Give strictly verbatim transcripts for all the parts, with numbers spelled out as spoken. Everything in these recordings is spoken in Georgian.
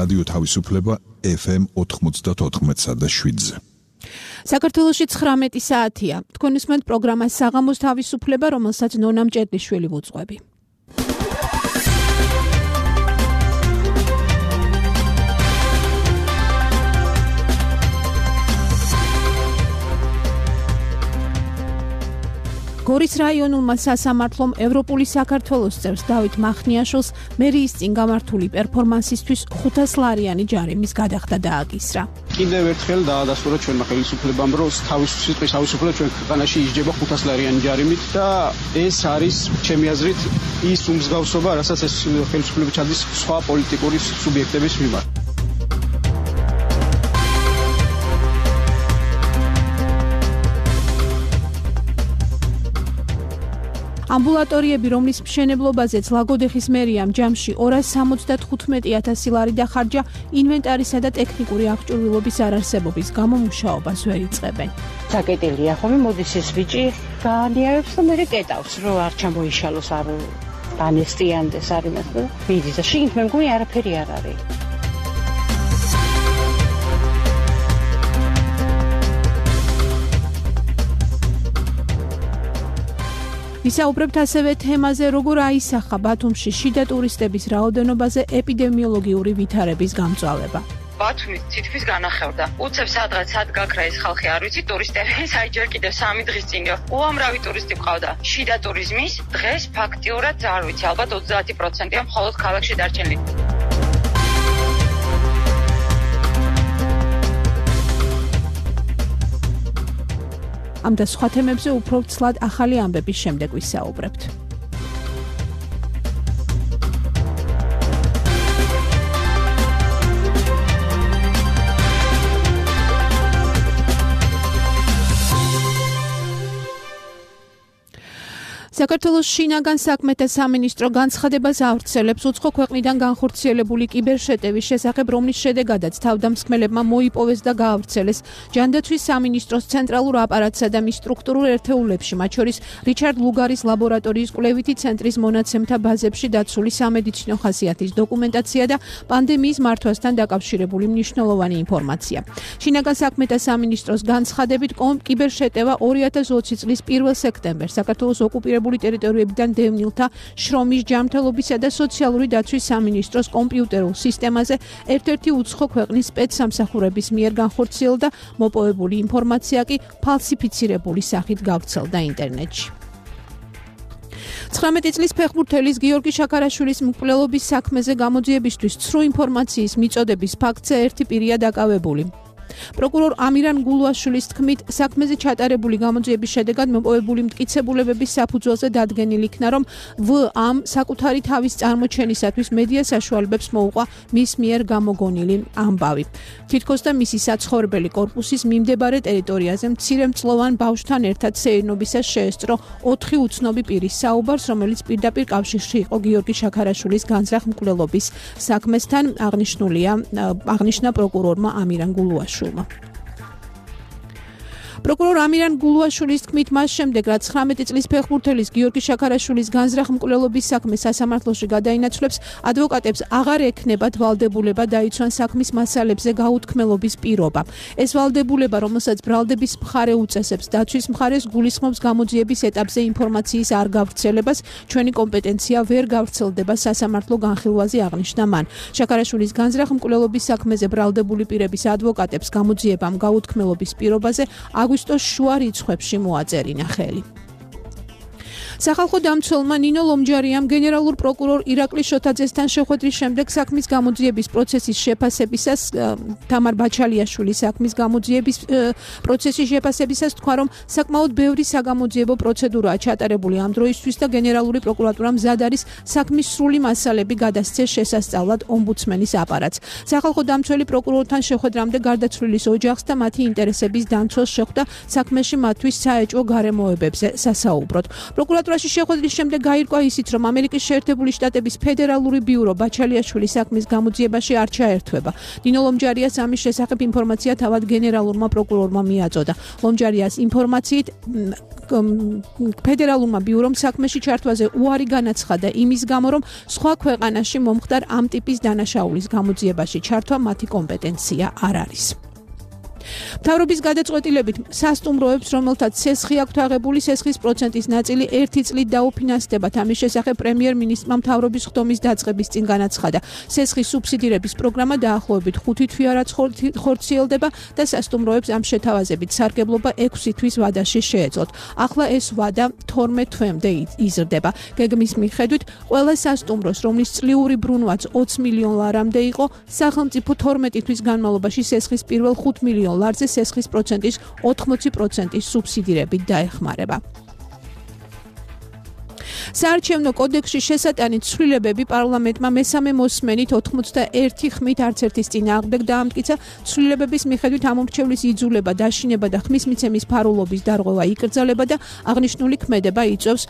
რადიო თავისუფლება ეფ ემ ოთხმოცდაოთხ და შვიდზე. საქართველოში ცხრამეტი საათია. თქვენ უსმენთ პროგრამას საღამოს თავისუფლება, რომელსაც ნონა მჭედლიშვილი ვუძღვები. გორის რაიონულმა სასამართლომ ევროპული საქართველოს წევრს დავით მახნიაშვილს მერიის წინ გამართული პერფორმანსისთვის ხუთასლარიანი ჯარიმის გადახდა დააკისრა. კიდევ ერთხელ დაადასტურა ჩვენმა ხელისუფლებამ, რომ თავისუფლების სიტყვის თავისუფლება ჩვენ ქვეყანაში ისჯება ხუთასლარიანი ჯარიმით და ეს არის ჩემი აზრით ის უმსგავსობა, რასაც ეს ხელისუფლება ჩადის სხვა პოლიტიკური სუბიექტების მიმართ. ამბულატორიები, რომლის მშენებლობაზეც ლაგოდეხის მერიამ ჯამში ორას სამოცდათხუთმეტი ათასი ლარი დახარჯა, ინვენტარისა და ტექნიკური აღჭურვილობის არარსებობის გამო მუშაობას ვერ იწყებენ. საკეტელია ხომ მოდის ეს ბიჭი გაანიარებს და მერე კეტავს, რომ არ ჩამოიშალოს, არ დანესტიანდეს არ იმას და მიდის და შიგნით მე მგონი არაფერი არ არის. ვისაუბრებთ ასევე თემაზე, როგორ აისახა ბათუმში შიდა ტურისტების რაოდენობაზე ეპიდემიოლოგიური ვითარების გამწვალება. ბათუმის თითქმის განახევდა. უცებ სადღაც სად გაქრა ეს ხალხი არ ვიცი, ტურისტები, აი ჯერ კიდევ სამი დღის წინო. უამრავი ტურისტი ყავდა. შიდა ტურიზმის დღეს ფაქტიურად არ ვიცი, ალბათ ოცდაათი პროცენტია მხოლოდ ქალაქში დარჩენილი. ამ და სხვა თემებზე უფრო ცლად ახალი ამბების შემდეგ ვისაუბრებთ. საქართველოს შინაგან საქმეთა სამინისტრო განცხადებას ავრცელებს უცხო ქვეყნიდან განხორციელებული კიბერშეტევის შესახებ, რომლის შედეგადაც თავდამსხმელებმა მოიპოვეს და გაავრცელეს ჯანდაცვის სამინისტროს ცენტრალურ აპარატსა და მის სტრუქტურულ ერთეულებში, მათ შორის რიჩარდ ლუგარის ლაბორატორიის კვლევითი ცენტრის მონაცემთა ბაზებში დაცული სამედიცინო ხასიათის დოკუმენტაცია და პანდემიის მართვასთან დაკავშირებული მნიშვნელოვანი ინფორმაცია. შინაგან საქმეთა სამინისტროს განცხადებით, კიბერშეტევა ორი ათას ოცი წლის პირველ სექტემბერს საქართველოს ოკუპირებულ ტერიტორიებიდან დევნილთა შრომის ჯანმრთელობისა და სოციალური დაცვის სამინისტროს კომპიუტერულ სისტემაზე ერთ-ერთი უცხო ქვეყნის სპეცსამსახურების მიერ განხორციელდა, მოპოვებული ინფორმაცია კი ფალსიფიცირებული სახით გავრცელდა ინტერნეტში. ცხრამეტი წლის ფეხბურთელის გიორგი შაქარაშვილის მკვლელობის საქმეზე გამოძიებისთვის ცრუ ინფორმაციის მიწოდების ფაქტზე ერთი პირია დაკავებული. პროკურორ ამირან გულუაშვილის თქმით, საქმეზე ჩატარებული გამოძიების შედეგად მოპოვებული მტკიცებულებების საფუძველზე დადგენილი იქნა, რომ ვ-ამ საკუთარი თავის წარმოჩენისათვის მედია საშუალებებს მოუყვა მის მიერ გამოგონილი ამბავი. თითქოს და მისი საცხოვრებელი კორპუსის მიმდებარე ტერიტორიაზე მცირემწლოვან ბავშვთან ერთად სეირნობისას შეესწრო ოთხი უცნობი პირის საუბარს, რომელიც პირდაპირ კავშირში იყო გიორგი შაქარაშვილის განზრახ მკვლელობის საქმესთან, აღნიშნულია აღნიშნა პროკურორმა ამირან გულუაშვილმა. პროკურორ ამირან გულუაშვილის თქმით, მას შემდეგ, რაც ცხრამეტი წლის ფეხბურთელის გიორგი შაქარაშვილის განზრახ მკვლელობის საქმე სასამართლოში გადაინაცვლებს, ადვოკატებს აღარ ექნებათ ვალდებულება დაიცვან საქმის მასალებზე გაუთქმელობის პირობა. ეს ვალდებულება, რომელსაც ბრალდების მხარე უწესებს, დაცვის მხარეს გულისხმობს გამოძიების ეტაპზე ინფორმაციის არ გავრცელებას, ჩვენი კომპეტენცია ვერ გავრცელდება სასამართლო განხილვაზე, აღნიშნა მან. შაქარაშვილის განზრახ მკვლელობის საქმეზე ბრალდებული პირების ადვოკატებს გამოძიებამ გაუთქმელობის პირობაზე აგვისტოს შუა რიცხვებში მოაწერინა ხელი. სახალხო დამცველმა ნინო ლომჯარიამ გენერალურ პროკურორ ირაკლი შოთაძესთან შეხვედრის შემდეგ საქმის გამოძიების პროცესის შეფასებისას თამარ ბაჩალიაშვილის საქმის გამოძიების პროცესის შეფასებისას თქვა, რომ საკმაოდ ბევრი საგამოძიებო პროცედურაა ჩატარებული ამ დროისთვის და გენერალური პროკურატურა მზად არის საქმის სრული მასალები გადასცეს შესასწავლად ომბუდსმენის აპარატს. სახალხო დამცველი პროკურორთან შეხვედრამდე გარდაცვლილის ოჯახს და მათი ინტერესების დაცვას შეხვდა საქმეში მათთვის საეჭვო გარემოებებზე სასაუბროდ. პროკურატურა პროკურატურაში შეხვედრის შემდეგ გაირკვა ისიც, რომ ამერიკის შეერთებული შტატების ფედერალური ბიურო ბაჩალიაშვილის საქმის გამოძიებაში არ ჩაერთვება. ნინო ლომჯარიას ამის შესახებ ინფორმაცია თავად გენერალურმა პროკურორმა მიაწოდა. ლომჯარიას ინფორმაციით ფედერალურმა ბიურომ საქმეში ჩართვაზე უარი განაცხადა იმის გამო, რომ სხვა ქვეყანაში მომხდარ ამ ტიპის დანაშაულის გამოძიებაში ჩართვა მათი კომპეტენცია არ არის. მთავრობის გადაწყვეტილებით სასტუმროებს, რომელთაც სესხი აქვთ აღებული, სესხის პროცენტის ნაწილი ერთი წლით დაუფინანსდებათ. ამის შესახებ პრემიერ-მინისტრმა მთავრობის ხდომის დაწყების წინ განაცხადა. სესხის სუბსიდირების პროგრამა დაახლოებით ხუთი თვეურად ხორციელდება და სასტუმროებს ამ შეთავაზებით სარგებლობა ექვსი თვის ვადაში შეეძლოთ. ახლა ეს ვადა თორმეტ თვემდე იზრდება. გეგმის მიხედვით, ყველა სასტუმროს, რომლის წლიური ბრუნვაც ოცი მილიონ ლარამდე იყო, სახელმწიფო თორმეტი თვის განმავლობაში სესხის პირველ ხუთ მილიონ ლარზე სესხის პროცენტის ოთხმოცი პროცენტის სუბსიდირებით დაეხმარება. საარჩევნო კოდექსში შესატანით ცვლილებები პარლამენტმა მესამე მოსმენით ოთხმოცდაერთი ხმით არც ერთის წინააღმდეგ დაამტკიცა. ცვლილებების მიხედვით ამორჩევლის იძულება, დაშინება და ხმის მიცემის ფარულობის დარღვევა იკრძალება და აღნიშნული ქმედება იწვევს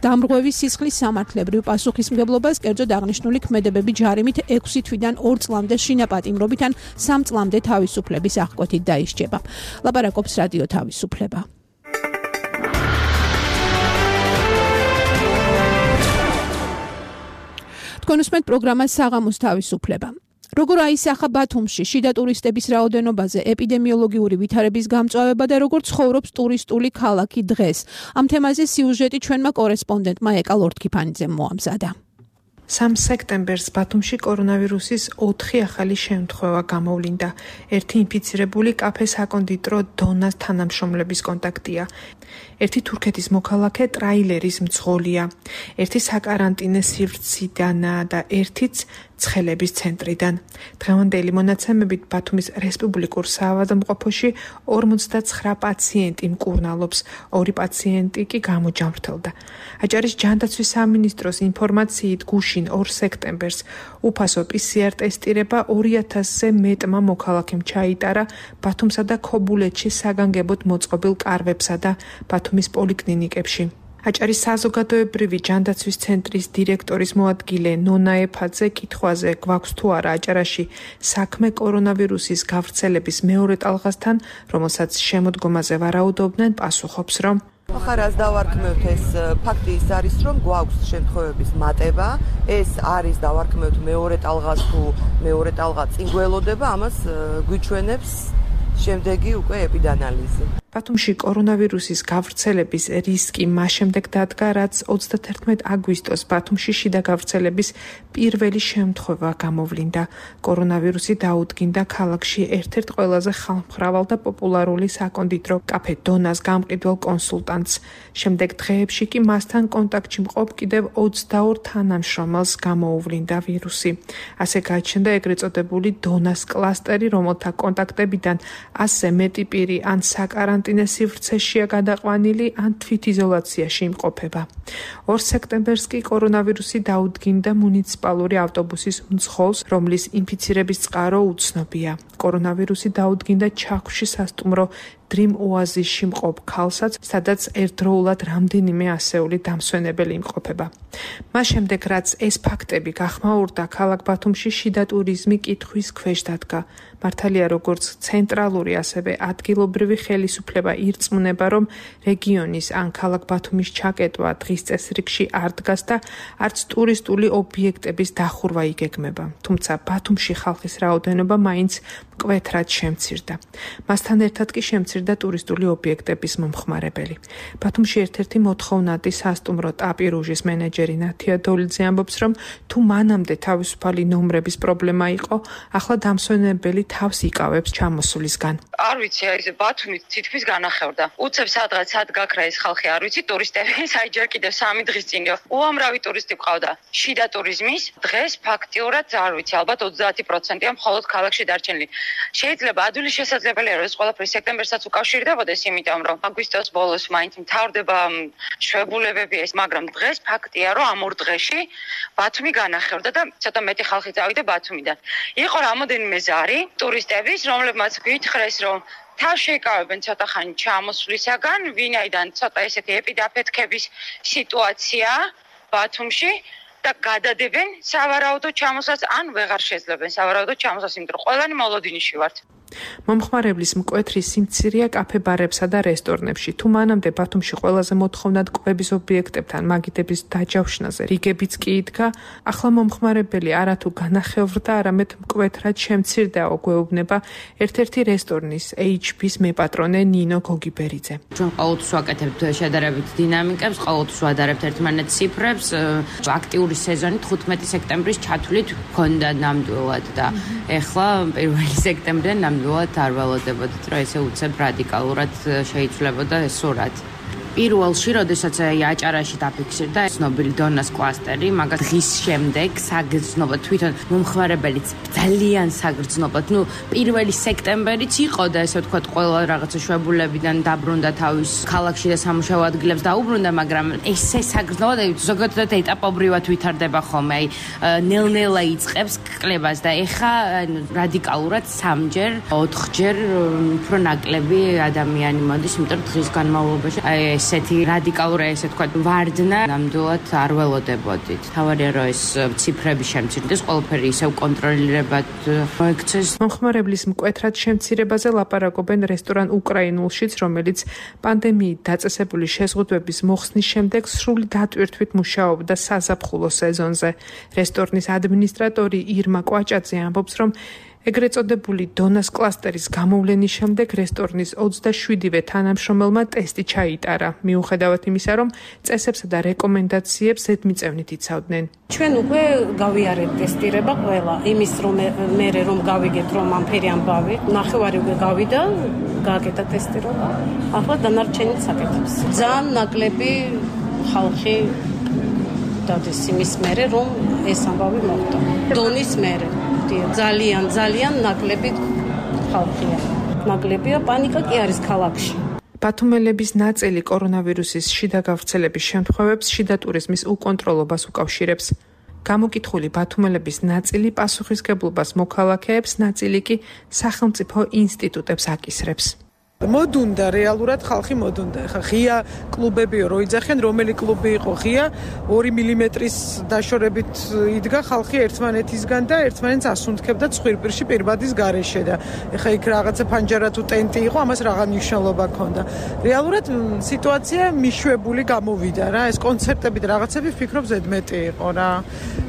დამრღვევის სისხლის სამართლებრივ პასუხისმგებლობას. კერძოდ აღნიშნული ქმედებები ჯარიმით ექვსი თვიდან ორ წლამდე შინაპატიმრობით ან სამ წლამდე თავისუფლების აღკვეთით დაისჯება. ლაპარაკობს რადიო თავისუფლება. კონსუმენტ პროგრამა საღამოს თავისუფლება. როგორ აისახა ბათუმში შიდა ტურისტების რაოდენობაზე ეპიდემიოლოგიური ვითარების გამწვავება და როგორ ცხოვრობს ტურისტული ქალაქი დღეს. ამ თემაზე სიუჟეტი ჩვენმა კორესპონდენტმა ეკა ლორთქიფანიძემ მოამზადა. სამ სექტემბერს ბათუმში კორონავირუსის ოთხი ახალი შემთხვევა გამოვლინდა. ერთი ინფიცირებული კაფე საკონდიტრო დონას თანამშრომლების კონტაქტია. ერთი თურქეთის მოქალაქე ტრაილერის მძღოლია. ერთი საკარანტინე სივრციდანაა და ერთიც ცხელების ცენტრიდან. დღევანდელი მონაცემებით ბათუმის რესპუბლიკურ საავადმყოფოში ორმოცდაცხრა პაციენტი მკურნალობს, ორი პაციენტი კი გამოჯამრთელდა. აჭარის ჯანდაცვის სამინისტროს ინფორმაციით გუშინ ორ სექტემბერს უფასო პი სი არ ტესტირება ორი ათასზე მეტმა მოქალაქემ ჩაიტარა ბათუმსა და ქობულეთში საგანგებოდ მოწყობილ კარვებსა და ბათუმის პოლიკლინიკებში. აჭარის საზოგადოებრივი ჯანდაცვის ცენტრის დირექტორის მოადგილე ნონა ეფაძე კითხვაზე გვაქვს თუ არა აჭარაში საქმე კორონავირუსის გავრცელების მეორე ტალღასთან, რომელსაც შემოდგომაზე ვარაუდობდნენ, პასუხობს, რომ ხარას დავარქმევთ ეს ფაქტი ის არის, რომ გვაქვს შემთხვევების მატება, ეს არის დავარქმევთ მეორე ტალღას თუ მეორე ტალღა წინ გველოდება, ამას გვიჩვენებს შემდეგი უკვე ეპიდანალიზი. ბათუმში კორონავირუსის გავრცელების რისკი მას შემდეგ დადგა, რაც ოცდათერთმეტ აგვისტოს ბათუმში შიდა გავრცელების პირველი შემთხვევა გამოვლინდა. კორონავირუსი დაუდგინდა ქალაქში ერთ-ერთ ყველაზე ხალხმრავალ და პოპულარული საკონდიტრო კაფე დონას გამყიდველ კონსულტანტს. შემდეგ დღეებში კი მასთან კონტაქტში მყოფ კიდევ ოცდაორ თანამშრომელს გამოუვლინდა ვირუსი. ასე გაჩნდა ეგრეთ წოდებული დონას კლასტერი, რომელთა კონტაქტებიდან ასზე მეტი პირი ან საკარანტინე სივრცეშია გადაყვანილი, ან თვითიზოლაციაში იმყოფება. ორ სექტემბერს კი კორონავირუსი დაუდგინდა მუნიციპალური ავტობუსის მძღოლს, რომლის ინფიცირების წყარო უცნობია. კორონავირუსი დაუდგინდა ჩაქვში სასტუმრო Dream Oasis-ში მყოფ ქალსაც, სადაც ერთდროულად რამდენიმე ასეული დამსვენებელი იმყოფება. მას შემდეგ, რაც ეს ფაქტები გახმაურდა, ქალაქ ბათუმში შიდა ტურიზმი კითხვის ქვეშ დადგა. მართალია, როგორც ცენტრალური, ასევე ადგილობრივი ხელისუფლება ირწმუნება, რომ რეგიონის ან ქალაქ ბათუმის ჩაკეტვა დღის წესრიგში არ დგას და არც ტურისტული ობიექტების დახურვა იგეგმება. თუმცა ბათუმში ხალხის რაოდენობა მაინც მკვეთრად შემცირდა. მასთან ერთად კი შემცირდა ტურისტული ობიექტების მომხმარებელი. ბათუმში ერთ-ერთი მოთხოვნადი სასტუმრო ტაპირუჟის მენეჯერი ნათია დოლიძე ამბობს, რომ თუ მანამდე თავისუფალი ნომრების პრობლემა იყო, ახლა დამსვენებელი თავს იკავებს ჩამოსვლისგან. არ ვიცი, აი ეს ბათუმი თითქმის განახევდა. უცებ სადღაც სად გაქრა ეს ხალხი, არ ვიცი, ტურისტები, საერთოდ კიდევ სამი დღის წინიო. უამრავი ტურისტი ყავდა. შიდა ტურიზმის დღეს ფაქტიურად არ ვიცი, ალბათ ოცდაათი პროცენტია მხოლოდ ქალაქში დარჩენილი. შეიძლება ადვილი შესაძლებელია, რომ ეს ყველაფერი სექტემბერსაც უკავშირდებოდეს, იმიტომ რომ აგვისტოს ბოლოს მაინც მთავრდება შვებულებები ეს, მაგრამ დღეს ფაქტია, რომ ამ ორ დღეში ბათუმი განახევდა და ცოტა მეტი ხალხი წავიდა ბათუმიდან. იყო რამოდენიმე ზარი ტურისტების, რომლებმაც გითხრეს, რომ თავს შეიკავებენ ცოტა ხანი ჩამოსვლისაგან, ვინაიდან ცოტა ესეთი ეპიდაფეთქების სიტუაცია ბათუმში და გადადებენ სავარაუდო ჩამოსვლას ან ვეღარ შეძლებენ სავარაუდო ჩამოსვლას, იმიტომ რომ ყველანი მოლოდინში ვართ. მომხმარებლის მკვეთრი სიმცირეა კაფე-ბარებსა და რესტორნებში. თუ მანამდე ბათუმში ყველაზე მოთხოვნად კვების ობიექტებთან მაგიდების დაჯავშნაზე რიგებიც კი იდგა, ახლა მომხმარებელი არათუ განახევრდა, არამედ მკვეთრად შემცირდაო გვეუბნება ერთ-ერთი რესტორნის ეიჩ პის მეპატრონე ნინო გოგიბერიძე. ჩვენ ყოველთვის ვაკეთებთ შედარებით დინამიკებს, ყოველთვის ვადარებთ ერთმანეთს ციფრებს. აქტიური სეზონი თხუთმეტი სექტემბრის ჩათვლით ჰქონდა ნამდვილად და ეხლა პირველი სექტემბრიდან ნამდვილად არ ველოდებოდით, რომ ესე უცებ რადიკალურად შეიცვლებოდა ეს სურათი. პირველში, როდესაც აჭარაში დაფიქსირდა ცნობილი დონას კლასტერი, მაგას დღის შემდეგ საგრძნობად თვითონ მომხმარებელიც ძალიან საგრძნობად, ნუ პირველი სექტემბერიც იყო და ესე ვთქვათ, ყველა რაღაცა შვებულებიდან დაბრუნდა თავის ქალაქში და სამუშაო ადგილებს დაუბრუნდა, მაგრამ ესე საგრძნობად ზოგადად ეტაპობრივად ვითარდება ხოლმე, აი ნელ-ნელა იწყებს კლებას და ეხა რადიკალურად სამჯერ, ოთხჯერ უფრო ნაკლები ადამიანი მოდის, იმიტომ დღის განმავლობაში აი ესეთი რადიკალური, ესე ვთქვათ, ვარდნა ნამდვილად არ ველოდებოდით. თავარია რომ ეს ციფრები შემცირდეს, ყველაფერი ისევ კონტროლირებად მოექცეს. მომხმარებლის მკვეთრად შემცირებაზე ლაპარაკობენ რესტორან უკრაინულშიც, რომელიც პანდემიით დაწესებული შეზღუდვების მოხსნის შემდეგ სრული დატვირთვით მუშაობდა საზაფხულო სეზონზე. რესტორნის ადმინისტრატორი ირმა კვაჭაძე ამბობს, რომ ეგრეთ წოდებული დონას კლასტერის გამოვლენის შემდეგ რესტორნის ოცდაშვიდივე თანამშრომელმა ტესტი ჩაიტარა, მიუხედავად იმისა, რომ წესებსა და რეკომენდაციებს ზედმიწევნით იცავდნენ. ჩვენ უკვე გავიარეთ ტესტირება ყველა, იმის რომ მე რომ გავიგეთ რომ ამფერი ამბავი, ნახევარი უკვე გავიდა, გააკეთა ტესტირება. ახლა დანარჩენიც აკეთებს. ძალიან ნაკლები ხალხი დადეს იმის მერე რომ ეს ამბავი მოხდა. დონის მერე ძალიან ძალიან ნაკლები ხალხია. ნაკლებია, პანიკა კი არის ქალაქში. ბათუმელების ნაწილი კორონავირუსის შიდა გავრცელების შემთხვევებს შიდა ტურიზმის უკონტროლობას უკავშირებს. გამოკითხული ბათუმელების ნაწილი პასუხისგებლობას მოქალაქეებს, ნაწილი კი სახელმწიფო ინსტიტუტებს აკისრებს. მოდუნდა რეალურად ხალხი მოდუნდა. ხა ღია კლუბებიო რო იძახენ, რომელი კლუბი იყო ღია, ორი მილიმეტრის დაშორებით იდგა ხალხი ერთმანეთისგან და ერთმანეთს ასუნთქებდა ცხვირპირში პირბადის გარეშე და ეხა იქ რაღაცა ფანჯარა თუ ტენტი იყო, ამას რაღა მნიშვნელობა ჰქონდა. რეალურად სიტუაცია მიშვებული გამოვიდა რა, ეს კონცერტები და რაღაცები ვფიქრობ ზედმეტი იყო რა.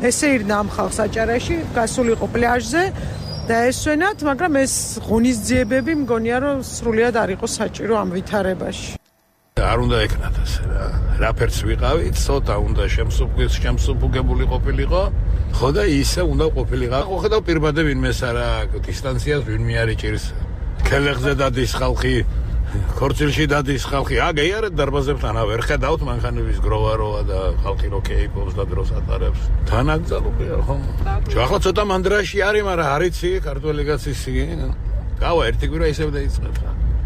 ესე ირნა ამ ხალხს აჭარაში, გასულიყო პლაჟზე და ესვენათ, მაგრამ ეს ღონისძიებები მგონია რომ სრულიად არ იყო საჭირო ამ ვითარებაში. არ უნდა ეკნათ ასე რა. რაფერც ვიყავით, ცოტა უნდა შემსუბუქებული ყოფილიყო, ხო და ისე უნდა ყოფილიყო. ხო ხედავ პირბადე ვინმეს არა დისტანციას ვინმე არ იჭირს. ქელეხზე დადის ხალხი, ქორწილში დადის ხალხი. აგეიარეთ დარბაზებთან ვერ ხედავთ მანქანების გროვაროა და ხალხი რო კეიფობს და დროს ატარებს. თანაგზალობია ხო? ახლა ცოტა მანდრაში არის, მაგრამ არიცი ქართველი კაცის გავა ერთი კვირა ისევ დაიწყებს.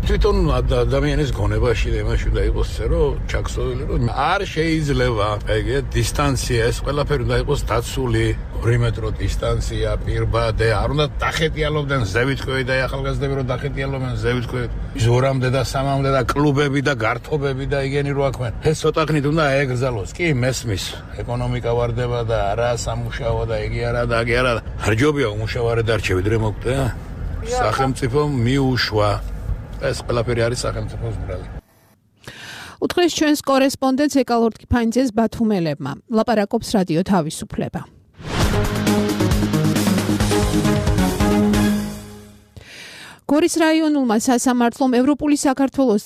თვითონ ადამიანის გონებაში და იმაში უნდა იყოს ესე რომ ჩაქსოვილი რომ არ შეიძლება ეგე დისტანცია ეს ყველაფერი უნდა იყოს დაცული ორი მეტრო დისტანცია პირბადე არ უნდა დახეტიალობდნენ ზევითქვევი და ახალგაზრდები რომ დახეტიალობდნენ ზევითქვევი ზორამდე და სამამდე და კლუბები და გართობები და იგენი რო აქვენ ეს ცოტა ხნით უნდა ეკრძალოს კი მესმის ეკონომიკა ვარდება და არა სამუშაო და იგი არა და აგი არა არ ჯობია უმუშავარე დარჩე ვიდრე მოკვდე სახელმწიფო მიუშვა ეს ყველაფერი არის სახელმწიფოს ბრალი. უთხრეს ჩვენს კორესპონდენტს ეკალორდ კიფანიძეს ბათუმელებმა. ლაპარაკობს რადიო თავისუფლება. გორის რაიონულმა სასამართლომ ევროპული საქართველოს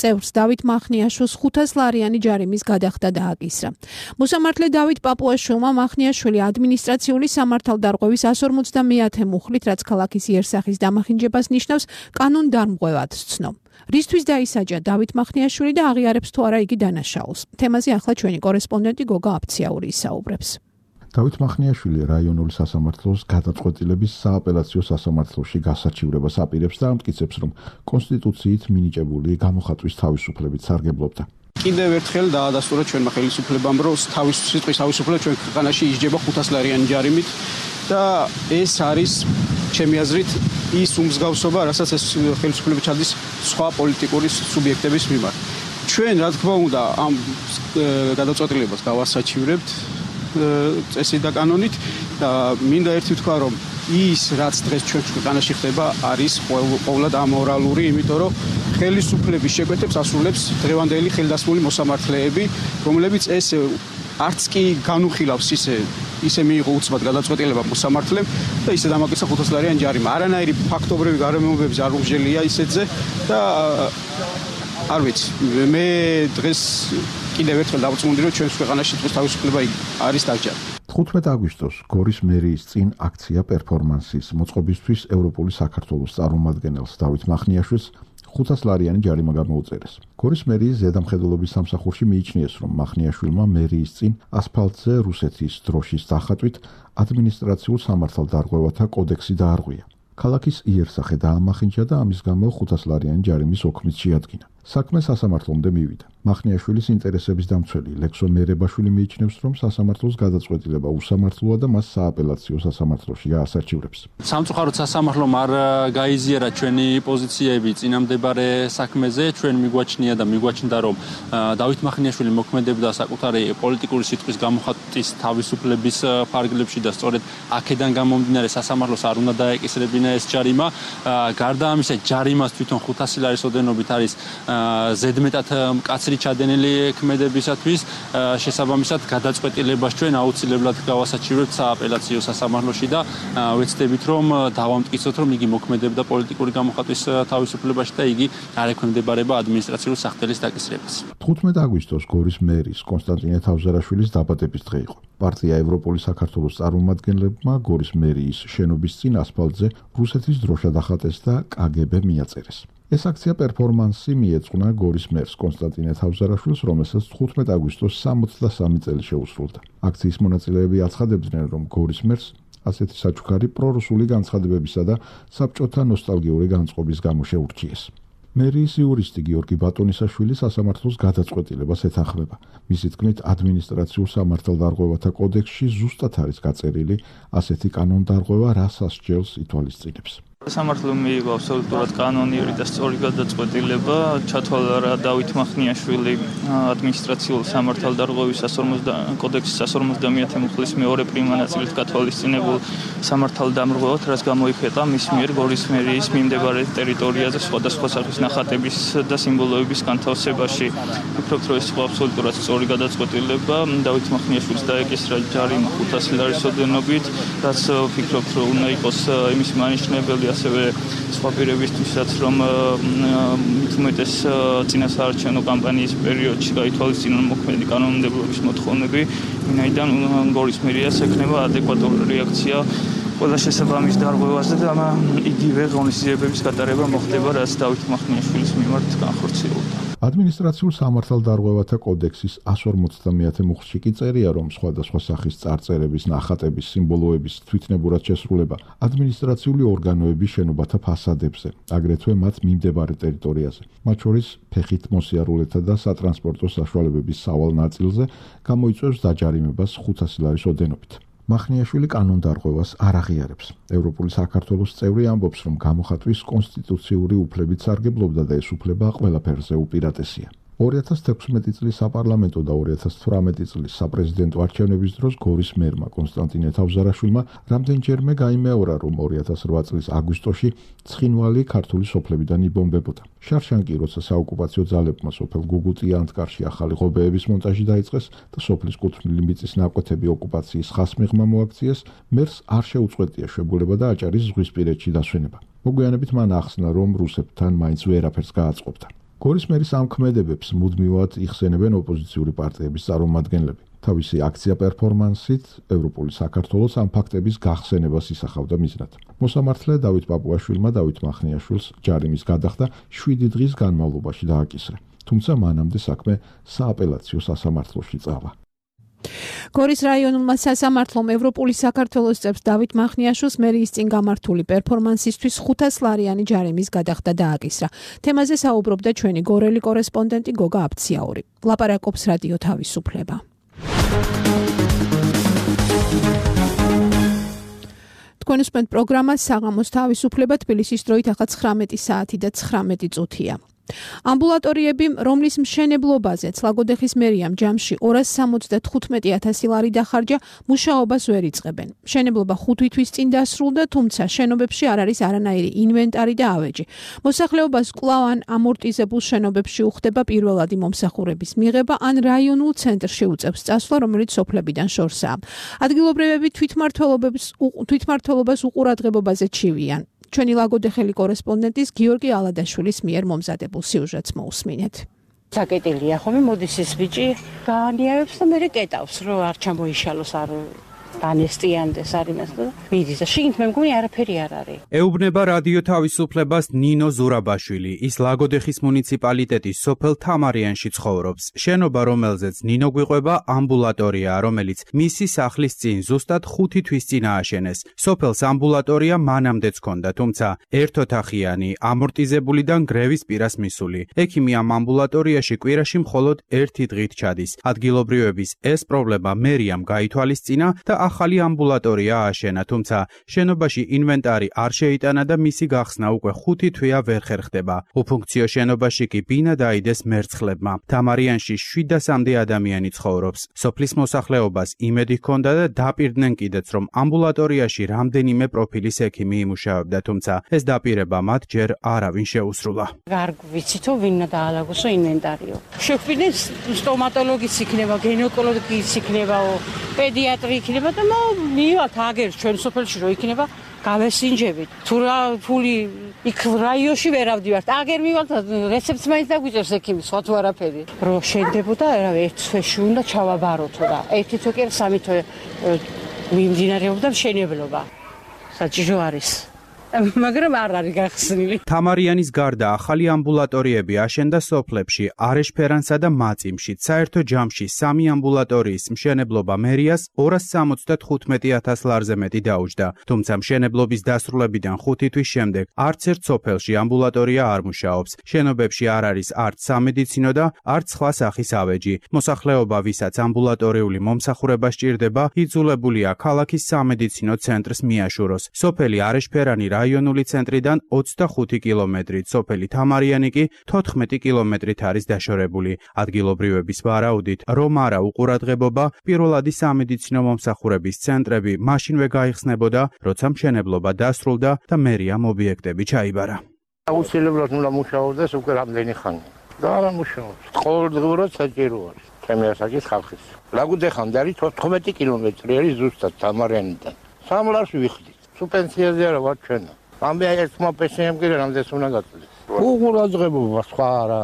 წევრს დავით მახნიაშვილს ხუთას ლარიანი ჯარიმის გადახდა დააკისრა. მოსამართლე დავით პაპუაშვილმა მახნიაშვილი ადმინისტრაციული სამართალდარღვევის εκατს ორმოცდამეათე მუხლით, რაც ქალაქის იერსახის დამახინჯებას ნიშნავს, კანონდარმღვევად სცნო. რისთვის დაისაჯა დავით მახნიაშვილი და აღიარებს თუ არა იგი დანაშაულს. თემაზე ახლა ჩვენი კორესპონდენტი გოგა აფციაური ისაუბრებს. დავით მახნიაშვილი რაიონული სასამართლოს გადაწყვეტილების სააპელაციო სასამართლოში გასარჩივრებას აპირებს და ამტკიცებს, რომ კონსტიტუციით მინიჭებული გამოხატვის თავისუფლებით სარგებლობდა. კიდევ ერთხელ დაადასტურა ჩვენმა ხელისუფლებამ, რომ თავის სიტყვის თავისუფლება ჩვენ ქვეყანაში ისჯება ხუთას ლარიანი ჯარიმით და ეს არის ჩემი აზრით ის უმსგავსობა, რასაც ეს ხელისუფლება ჩადის სხვა პოლიტიკური სუბიექტების მიმართ. ჩვენ რა თქმა უნდა ამ გადაწყვეტილებას გავასაჩივრებთ წესით და კანონით და მინდა ერთი თქვა რომ ის რაც დღეს ჩვენ ქვეყანაში ხდება არის ყოველად ამორალური, იმიტომ რომ ხელისუფლების შეკვეთებს ასრულებს დღევანდელი ხელდასმული მოსამართლეები, რომლებიც ეს არც კი განუხილავს ისე ისე მიიღო უცბად გადაწყვეტილება მოსამართლემ და ისე დამაკიცა ხუთასლარიანი ჯარიმა. არანაირი ფაქტობრივი გარემოებები არ უღჟელია ისეთზე და არ ვიცი, მე დღეს კიდევ ერთხელ დავწმუნდი რომ ჩვენს ქვეყანაში დღეს თავისუფლება არის დაგჯერა. თხუთმეტ აგვისტოს გორის მერიის წინ აქცია პერფორმანსის მოწყობისთვის ევროპული საქართველოს წარმომადგენელს დავით მახნიაშვილს ხუთასლარიანი ჯარიმა გამოუწერეს. გორის მერიის ზედამხედველობის სამსახურში მიიჩნიეს, რომ მახნიაშვილმა მერიის წინ ასფალტზე რუსეთის დროშის დახატვით ადმინისტრაციულ სამართალდარღვევათა კოდექსი დაარღვია. ქალაქის იერსახე დაამახინჯა და ამის გამო ხუთასლარიანი ჯარიმის ოქმით შეადგინა. საქმე სასამართლომდე მივიდა. მახნიაშვილის ინტერესების დამცველი ლექსო მერებაშვილი მიიჩნევს, რომ სასამართლოს გადაწყვეტილება უსამართლოა და მას სააპელაციო სასამართლოში გაასარჩივრებს. სამწუხაროდ სასამართლომ არ გაიზიარა ჩვენი პოზიციები წინამდებარე საქმეზე. ჩვენ მიგვაჩნია და მიგვაჩნდა, რომ დავით მახნიაშვილი მოქმედებდა საკუთარი პოლიტიკური სიტყვის გამოხატვის თავისუფლების ფარგლებში და სწორედ აქედან გამომდინარე სასამართლოს არ უნდა დაეკისრებინა ეს ჯარიმა. გარდა ამისა, ჯარიმას თვითონ ხუთასი ლარის ოდენობით არის ზედმეტად მკაცრი ჩადენილი ქმედებისათვის შესაბამისად გადაწყვეტილებას ჩვენ აუცილებლად გავასაჩივრებთ სააპელაციო სასამართლოში და ვეცდებით რომ დავამტკიცოთ რომ იგი მოქმედებდა პოლიტიკური გამოხატვის თავისუფლებაში და იგი არ ექვემდებარება ადმინისტრაციული სახთელის დაკისრებას. თხუთმეტ აგვისტოს გორის მერის კონსტანტინე თავზარაშვილის დაბადების დღე იყო. პარტია ევროპული საქართველოს წარმომადგენლებმა გორის მერიის შენობის წინ ასფალტზე რუსეთის დროშა დახატეს და კაგებე მიაწერეს. ეს აქცია პერფორმანსი მიეძღვნა გორის მერს კონსტანტინე თავზარაშვილს, რომელსაც თხუთმეტ აგვისტოს სამოცდასამი წელი შეუსრულდა. აქციის მონაწილეები აცხადებდნენ, რომ გორის მერს ასეთი საჩუქარი პრორუსული განცხადებებისა და საბჭოთა ნოსტალგიური განწყობის გამო შეურჩიეს. მერიის იურისტი გიორგი ბატონისაშვილი სასამართლოს გადაწყვეტილებას ეთანხმება. მისი თქმით, ადმინისტრაციულ სამართალდარღვევათა კოდექსში ზუსტად არის გაწერილი ასეთი კანონდარღვევა, რაც ასჯელს ითვალისწინებს. სასამართლომ მიიღო აბსოლუტურად კანონიური და სწორი გადაწყვეტილება, ჩათვალა რა დავით მახნიაშვილი ადმინისტრაციულ სამართალდარღვევის კოდექსის one ორმოცდამეათე მუხლის მეორე პრიმა ნაწილით გათვალისწინებულ სამართალდამრღვევად, რაც გამოიხატა მის მიერ გორის მერიის მიმდებარე ტერიტორიაზე სხვადასხვა სახის ნახატების და სიმბოლოების განთავსებაში. ვფიქრობთ, რომ ეს იყო აბსოლუტურად სწორი გადაწყვეტილება. დავით მახნიაშვილს დაეკისრა ჯარიმა ხუთასი ლარის ოდენობით, რაც ვფიქრობთ, რომ უნდა იყოს იმის მანიშნებელი ასევე სხვა პირებისთვისაც, რომ უმეტეს წინასაარჩევნო კამპანიის პერიოდში გაითვალისწინონ მოქმედი კანონმდებლობის მოთხოვნები, ვინაიდან გორის მერიას ექნება ადეკვატური რეაქცია ყველა შესაბამის დარღვევაზე და იგივე ღონისძიებების გატარება მოხდება, რაც დავით მახნიაშვილის მიმართ განხორციელდა. ადმინისტრაციულ სამართალდარღვევათა კოდექსის one ორმოცდამეათე მუხლში კი წერია, რომ სხვადასხვა სახის წარწერების, ნახატების, სიმბოლოების თვითნებურად შესრულება ადმინისტრაციული ორგანოების შენობათა ფასადებზე, აგრეთვე მათ მიმდებარე ტერიტორიაზე, მათ შორის ფეხით მოსიარულეთა და სატრანსპორტო საშუალებების სავალ ნაწილზე გამოიწვევს დაჯარიმებას ხუთასი ლარის ოდენობით. მახნიაშვილი კანონდარღვევას არ აღიარებს. ევროპული საქართველოს წევრი ამბობს, რომ გამოხატვის კონსტიტუციური უფლებით სარგებლობდა და ეს უფლება ყველაფერზე უპირატესია. ორი ათას თექვსმეტი წლის საპარლამენტო და ორი ათას თვრამეტი წლის საპრეზიდენტო არჩევნების დროს გორის მერმა კონსტანტინე თავზარაშვილმა რამდენჯერმე გაიმეორა, რომ ორი ათას რვა წლის აგვისტოში ცხინვალი ქართული სოფლებიდან იბომბებოდა. შარშანკი, როცა საოკუპაციო ძალებმა სოფელ გუგუტი-ანტკარში ახალი ღობეების მონტაჟი დაიწყეს და სოფლის კუთვნილი მიწის ნაკვეთები ოკუპაციის ხასმიღმა მოაქციეს, მერს არ შეუწყვეტია შვებულება და აჭარის ზღვისპირეთში დასვენება. მოგვიანებით მან ახსნა, რომ რუსებთან მაინც ვერაფერს გააწყობდა. გორის მერის ამ ქმედებებს მუდმივად იხსენებენ ოპოზიციური პარტიების წარმომადგენლები. თავისი აქცია პერფორმანსით ევროპული საქართველოს ამ ფაქტების გახსენებას ისახავდა მიზნად. მოსამართლე დავით პაპუაშვილმა დავით მახნიაშვილს ჯარიმის გადახდა შვიდი დღის განმავლობაში დააკისრა. თუმცა მანამდე საქმე სააპელაციო სასამართლოში წავა. გორის რაიონულმა სასამართლომ ევროპული საქართველოს წევრს დავით მახნიაშვილს მერიის წინ გამართული პერფორმანსისთვის ხუთასლარიანი ჯარიმის გადახდა დააკისრა. თემაზე საუბრობდა ჩვენი გორელი კორესპონდენტი გოგა აბციაური. ლაპარაკობს რადიო თავისუფლება. თქვენ უსმენთ პროგრამას საღამოს თავისუფლება თბილისის დროით ახლა ცხრამეტი საათი და ცხრამეტი წუთია. ამბულატორიები, რომლის მშენებლობაზეც ლაგოდეხის მერიამ ჯამში ორას სამოცდათხუთმეტი ათასი ლარი დახარჯა, მუშაობას ვერ იწყებენ. მშენებლობა ხუთი თვის წინ დასრულდა, თუმცა შენობებში არ არის არანაირი ინვენტარი და ავეჯი. მოსახლეობას კვლავ ან ამორტიზებულ შენობებში უხდება პირველადი მომსახურების მიღება, ან რაიონულ ცენტრში უწევს წასვლა, რომელიც სოფლებიდან შორსაა. ადგილობრივები თვითმმართველობებს თვითმმართველობას უყურადღებობაზე ჩივიან. ჩვენი ლაგოდეხელი კორესპონდენტის გიორგი ალადაშვილის მიერ მომზადებულ სიუჟეტს მოусმინეთ. საკეტილია ხომ მოდის ეს ბიჭი გაანიავებს და მე კეტავს რომ არ ჩამოიშალოს არ განესტიანდეს არის და მიდის და შიგნით მე მგონი არაფერი არ არის. ეუბნება რადიო თავისუფლებას ნინო ზურაბაშვილი. ის ლაგოდეხის მუნიციპალიტეტის სოფელ თამარიანში ცხოვრობს. შენობა, რომელზეც ნინო გვიყვება, ამბულატორია, რომელიც მისი სახლის წინ ზუსტად ხუთი თვის წინ ააშენეს. სოფელს ამბულატორია მანამდეც ჰქონდა, თუმცა ერთოთახიანი, ამორტიზებულიდან გრევის პირას მისული. ექიმი ამ ამბულატორიაში კვირაში მხოლოდ ერთი დღით ჩადის. ადგილობრივების ეს პრობლემა მერიამ გაითვალისწინა და ახალი ამბულატორია ააშენა, თუმცა შენობაში ინვენტარი არ შეიტანა და მისი გახსნა უკვე ხუთი თვეა ვერ ხერხდება. უფუნქციო შენობაში კი ბინა დაიდეს მერცხლებმა. თამარიანში შვიდასამდე ადამიანი ცხოვრობს. სოფლის მოსახლეობას იმედი ჰქონდა და დაპირდნენ კიდეც, რომ ამბულატორიაში რამდენიმე პროფილის ექიმი იმუშავებდა, თუმცა ეს დაპირება მათ ჯერ არავინ შეუსრულა. არ ვიცითო ვინმე დაალაგოსო ინვენტარიო. შეგვიდნენ სტომატოლოგის იქნება, გინეკოლოგის იქნებაო, პედიატრი იქნება და მივათ აგერს ჩვენ სოფელში რო იქნება გავესინჯებით. თუ რა ფული იქ რაიონში ვერ ავდივართ. აგერ მივალთ რეცეპტს მაინც დაგვიწევს ექიმი, სხვა თუ არაფერი. რო შენდებოდა, რა ერთ თვეში უნდა ჩავაბაროთო და ერთი თვე კი სამი თვე მიმდინარეობდა მშენებლობა. საჭირო არის. მაგრამ არ არის გახსნილი. თამარიანის გარდა ახალი ამბულატორიები აშენდა სოფლებში არეშფერანსა და მაწიმში. საერთო ჯამში სამი ამბულატორიის მშენებლობა მერიას ორას სამოცდათხუთმეტი ათას ლარზე მეტი დაუჯდა. თუმცა მშენებლობის დასრულებიდან ხუთი თვის შემდეგ არც ერთ სოფელში ამბულატორია არ მუშაობს. შენობებში არ არის არც სამედიცინო და არც სხვა სახის ავეჯი. მოსახლეობა, ვისაც ამბულატორიული მომსახურება სჭირდება, იძულებულია ქალაქის სამედიცინო ცენტრს მიაშუროს. სოფელი არეშფერანი რაიონული ცენტრიდან ოცდახუთი კილომეტრით, სოფელი თამარიანი კი თოთხმეტი კილომეტრით არის დაშორებული. ადგილობრივების ვარაუდით, რომ არა უყურადღებობა, პირველადი სამედიცინო მომსახურების ცენტრები მაშინვე გაიხსნებოდა, როცა მშენებლობა დასრულდა და მერიამ ობიექტები ჩაიბარა. აუცილებლად უნდა მუშაობდეს უკვე რამდენი ხანი. და არა მუშაობს. ყოველდღიურად საჭირო არის. ჩემი ასაკის ხალხის. ლაგოდეხამდე არის თოთხმეტი კილომეტრი არის ზუსტად თამარიანიდან. სამ ლარს ვიხდით. თუ პენსიაზე არა ვარ ჩვენ. ამბე ერთმა პენსიამ კიდე რამდენს უნდა გაწდეს. უყურადღებობა სხვა არა.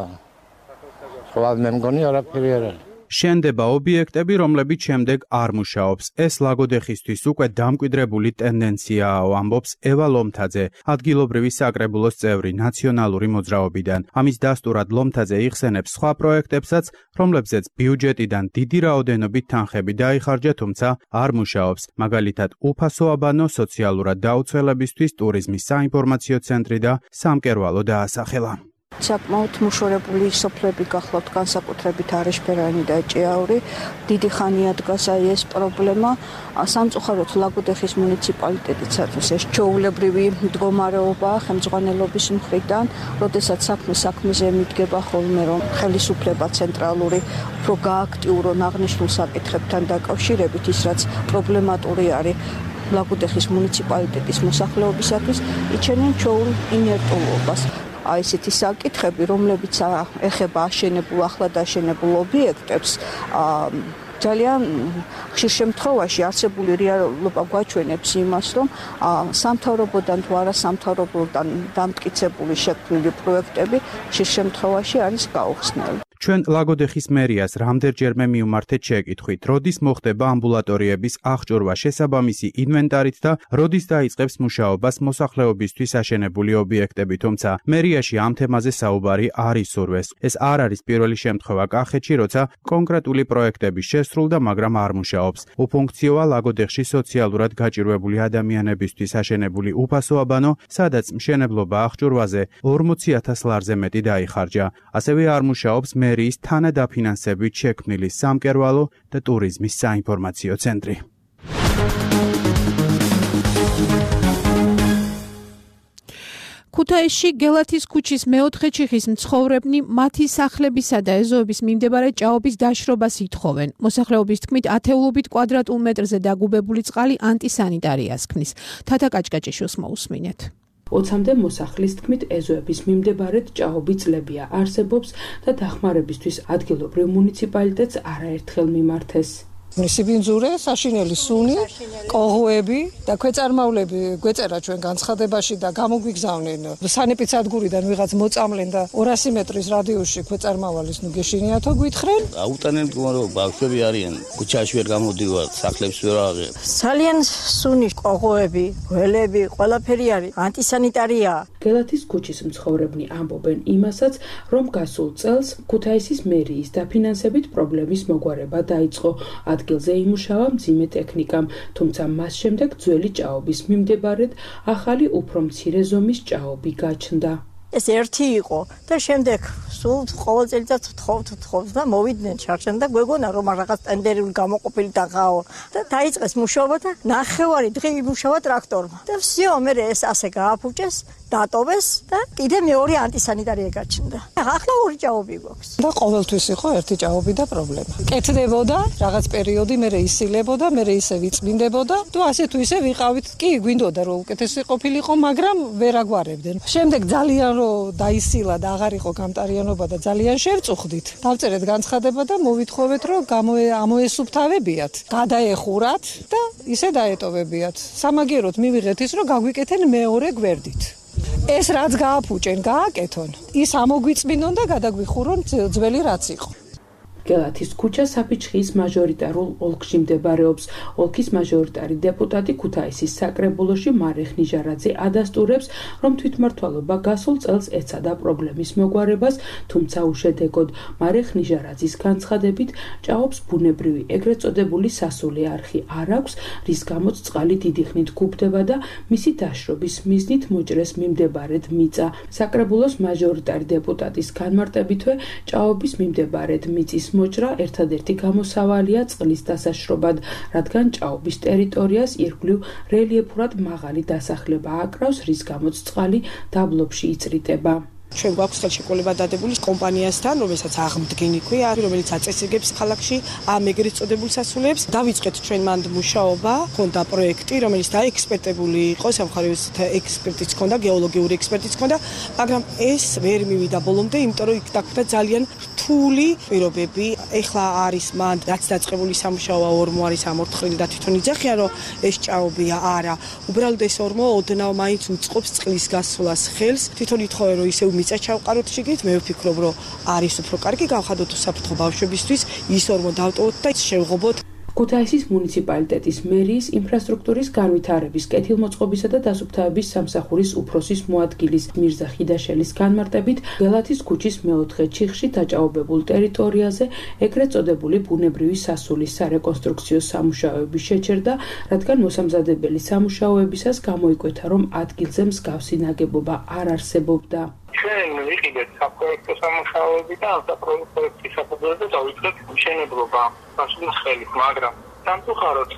სხვა მე მგონი არაფერი არ არის. შენდება ობიექტები, რომლებიც შემდეგ არ მუშაობს. ეს ლაგოდეხისთვის უკვე დამკვიდრებული ტენდენციაა, ამბობს ევა ლომთაძე, ადგილობრივი საკრებულოს წევრი ნაციონალური მოძრაობიდან. ამის დასტურად ლომთაძე იხსენებს სხვა პროექტებსაც, რომლებზეც ბიუჯეტიდან დიდი რაოდენობით თანხები დაიხარჯა, თუმცა არ მუშაობს. მაგალითად, უფასო აბანო სოციალურად დაუცველებისთვის ტურიზმის საინფორმაციო ცენტრი და სამკერვალო დაასახელა. საკმაოდ მუშორებული სოფლები გახლავთ, განსაკუთრებით არეშფერანი და ჭიაური. დიდი ხანია დგას აი ეს პრობლემა. სამწუხაროდ ლაგოდეხის მუნიციპალიტეტიცათვის ეს ჩვეულებრივი მდგომარეობაა ხელმძღვანელობის მხრიდან, როდესაც საქმე საქმეზე მიდგება ხოლმე, რომ ხელისუფლება ცენტრალური უფრო გააქტიურონ აღნიშნულ საკითხებთან დაკავშირებით, ის რაც პრობლემატური არის ლაგოდეხის მუნიციპალიტეტის მოსახლეობისათვის, იჩენენ ჩვეულ ინერტულობას. აი ესეთი საკითხები, რომლებიც ეხება აშენებულ ახლად აშენებულ ობიექტებს, ძალიან ხშირ შემთხვევაში არსებული რეალობა გვაჩვენებს იმას, რომ სამთავრობოდან თუ არა სამთავრობოდან დამტკიცებული შექმნილი პროექტები ხშირ შემთხვევაში არის გაუხსნელი. ჩვენ ლაგოდეხის მერიას რამდენჯერმე მივმართეთ შეკითხვით, როდის მოხდება ამბულატორიების აღჭურვა შესაბამისი ინვენტარით და როდის დაიწყებს მუშაობას მოსახლეობისთვის აშენებული ობიექტები, თუმცა მერიაში ამ თემაზე საუბარი არ ისურვეს. ეს არ არის პირველი შემთხვევა კახეთში, როცა კონკრეტული პროექტები შესრულდა, მაგრამ არ მუშაობს. უფუნქციოა ლაგოდეხში სოციალურად გაჭირვებული ადამიანებისთვის აშენებული უფასო აბანო, სადაც მშენებლობა აღჭურვაზე ორმოცი ათას ლარზე მეტი დაიხარჯა. ასევე არ მუშაობს მერიის თანადაფინანსებით შექმნილი სამკერვალო და ტურიზმის საინფორმაციო ცენტრი. ქუთაისში გელათის ქუჩის მეოთხე ჩიხის მცხოვრებნი მათი სახლებისა და ეზოების მიმდებარე ჭაობის დაშრობას ითხოვენ. მოსახლეობის თქმით, ათეულობით კვადრატულ მეტრზე დაგუბებული წყალი ანტისანიტარიას ქმნის. თათა კაჭკაჭიშვილს მოусმინეთ. ოცამდე მოსახლის თქმით, ეზოების მიმდებარედ ჭაობი წლებია არსებობს და დახმარებისთვის ადგილობრივ მუნიციპალიტეტს არაერთხელ მიმართეს. სიბინძურე, საშინელი სუნი, კოღოები და ქვეწარმავლები გვეწერა ჩვენ განცხადებაში და გამოგვიგზავნენ სანეპიცადგურიდან ვიღაც მოწამლენ და ორასი მეტრის რადიუსში ქვეწარმავალის ნუ გეშინიათო გვითხრენ. აუტანელ მდგომარეობა ბავშვები არიან, ქუჩაში ვერ გამოდივარ, სახლებს ვერ აღარ. ძალიან სუნი, კოღოები, გველები, ყველაფერი არის ანტისანიტარია. გელათის ქუჩის მცხოვრებნი ამბობენ იმასაც, რომ გასულ წელს ქუთაისის მერიის დაფინანსებით პრობლემის მოგვარება დაიწყო. ადგილზე იმუშავა მძიმე ტექნიკამ, თუმცა მას შემდეგ ძველი ჭაობის მიმდებარედ ახალი უფრო მცირე ზომის ჭაობი გაჩნდა. ეს ერთი იყო და შემდეგ სულ ყოველ წელიწადს ვთხოვთ ვთხოვთ და მოვიდნენ ჩარჩენ და გვეგონა რომ რაღაც ტენდერული გამოყოფილი დაღაო და დაიწყეს მუშაობა და ნახევარი დღე იმუშავა ტრაქტორმა და всё მე ეს ასე გააფუჭეს დატოვეს და კიდე მეორე ანტისანიტარია გაჩნდა. ახლა ორი ჭაობი გვაქვს. და ყოველთვის იყო ერთი ჭაობი და პრობლემა. კეთდებოდა რაღაც პერიოდი, მე ისილებოდა, მე ისე ვიწმინდებოდა და ასე თუ ისე ვიყავით. კი, გვინდოდა რომ უკეთესი ყოფილიყო, მაგრამ ვერ აგვარებდნენ. შემდეგ ძალიან რომ დაისილა და აღარ იყო გამტარიანობა და ძალიან შევწუხდით. დავწერეთ განცხადება და მოვითხოვეთ რომ ამოესუფთავებიათ, გადაეხურათ და ისე დაეტოვებიათ. სამაგიეროდ მივიღეთ ის რომ გაგვიკეთენ მეორე გვერდით. ეს რაც გააფუჭენ, გააკეთონ. ის ამოგვიწმინონ და გადაგვიხურონ ძველი რაც იყო. გელათის ქუჩა საფიჩხის მაჟორიტარულ ოლქში მდებარეობს. ოლქის მაჟორიტარი დეპუტატი ქუთაისის საკრებულოში მარეხ ნიჟარაძე ადასტურებს, რომ თვითმმართველობა გასულ წელს ეცადა პრობლემის მოგვარებას, თუმცა უშედეგოდ. მარეხ ნიჟარაძის განცხადებით, ჭაობს ბუნებრივი ეგრეთ წოდებული სასული არხი არ აქვს, რის გამოც წყალი დიდი ხნით გუბდება და მისი დაშრობის მიზნით მოჭრეს მიმდებარედ მიწა. საკრებულოს მაჟორიტარი დეპუტატის განმარტებითვე, ჭაობის მიმდებარედ მიწის მოჭრა ერთადერთი გამოსავალია წყლის დასაშრობად, რადგან ჭაობის ტერიტორიას ირგვლივ რელიეფურად მაღალი დასახლება აკრავს, რის გამოც წყალი დაბლობში იწრიტება. ჩვენ გვაქვს ხელშეკრულება დადებული კომპანიასთან, რომელსაც აღმდგენი ქვია, რომელიც აწესებებს ქალაქში ამ ეგრეთ წოდებულ სასულებს. დავიწყეთ ჩვენ მანდ მუშაობა, ხონდა პროექტი, რომელიც დაექსპერტებული იყო, სამხარების ექსპერტიც ხონდა, გეოლოგიური ექსპერტიც ხონდა, მაგრამ ეს ვერ მივიდა ბოლომდე, იმიტომ რომ იქ დაგხვდა ძალიან რთული პირობები. ეხლა არის მანდ რაც დაწყებული სამუშაოა ორმო არის ამორთხრილი და თვითონ იძახიან რომ ეს ჭაობია, არა. უბრალოდ ეს ორმო ოდნავ მაინც უწყობს წყლის გასვლას ხელს. თვითონ ითხოვენ რომ ისევ მიწა ჩავყაროთ შიგნით, მე ვფიქრობ რომ არის უფრო კარგი გავხადოთ უსაფრთხო ბავშვებისთვის, ის ორმო დავტოვოთ და შევღობოთ. ქუთაისის მუნიციპალიტეტის მერიის ინფრასტრუქტურის განვითარების, კეთილმოწყობისა და დასუფთავების სამსახურის უფროსის მოადგილის მირზა ხიდაშელის განმარტებით, გელათის ქუჩის მეოთხე ჩიხში დაჭაობებულ ტერიტორიაზე ეგრეთ წოდებული ბუნებრივი სასულის სარეკონსტრუქციო სამუშაოები შეჩერდა, რადგან მოსამზადებელი სამუშაოებისას გამოიკვეთა, რომ ადგილზე მსგავსი ნაგებობა არ არსებობდა. ჩვენ ვიყიდეთ საპროექტო სამუშაოები და ამ საპროექტის საფუძველზე დავიწყეთ მშენებლობა სასულის ხელით, მაგრამ სამწუხაროდ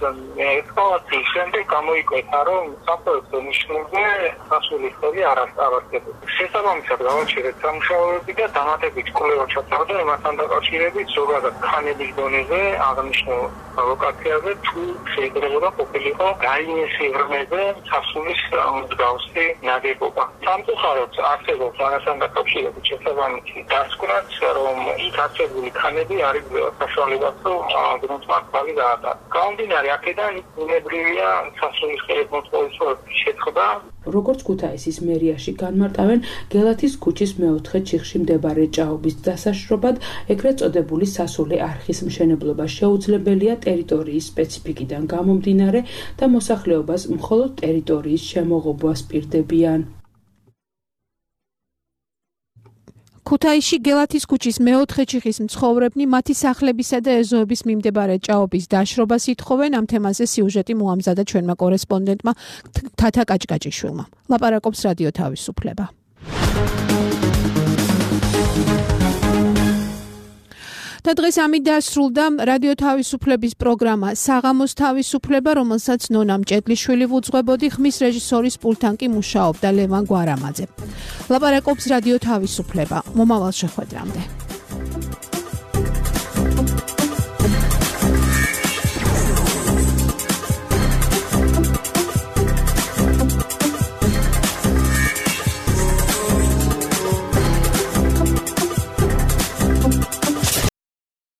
ექსკავაციის შემდეგ გამოიკვეთა, რომ საპროექტო ნიშნებზე სასულის ხელი არ არსებობს. შესაბამისად გავაჩერეთ სამუშაოები და დამატებით კვლევა ჩატარდა იმასთან დაკავშირებით, ზოგადად ქანების დონეზე აღნიშნულ ლოკაციაზე თუ შეიძლება ყოფილიყო რაიმე სიღრმეზე სასულის მსგავსი ნაგებობა. სამწუხაროდ არსებობს ამასთან დაკავშირებით შესაბამისი დასკვნაც, რომ იქ არსებული ქანები არ იძლევა საშუალებას, რომ გრუნტმართალი გაატარა. გამომდინარე აქედან ბუნებრივია სასულის ხელით მოწყობის შეწყდა. როგორც ქუთაისის მერიაში განმარტავენ, გელათის ქუჩის მეოთხე ჩიხში მდებარე ჭაობის დასაშრობად ეგრეთ წოდებული სასული არხის მშენებლობა შეუძლებელია ტერიტორიის სპეციფიკიდან გამომდინარე და მოსახლეობას მხოლოდ ტერიტორიის შემოღობას პირდებიან. ქუთაისში გელათის ქუჩის მეოთხე ჩიხის მცხოვრებნი მათი სახლებისა და ეზოების მიმდებარე ჭაობის დაშრობას ითხოვენ. ამ თემაზე სიუჟეტი მოამზადა ჩვენმა კორესპონდენტმა თათა კაჭკაჭიშვილმა. ლაპარაკობს რადიო თავისუფლება. და დღეს ამით დასრულდა რადიო თავისუფლების პროგრამა საღამოს თავისუფლება, რომელსაც ნონა მჭედლიშვილი ვუძღვებოდი, ხმის რეჟისორის პულტთან კი მუშაობდა ლევან გვარამაძე. ლაპარაკობს რადიო თავისუფლება. მომავალ შეხვედრამდე.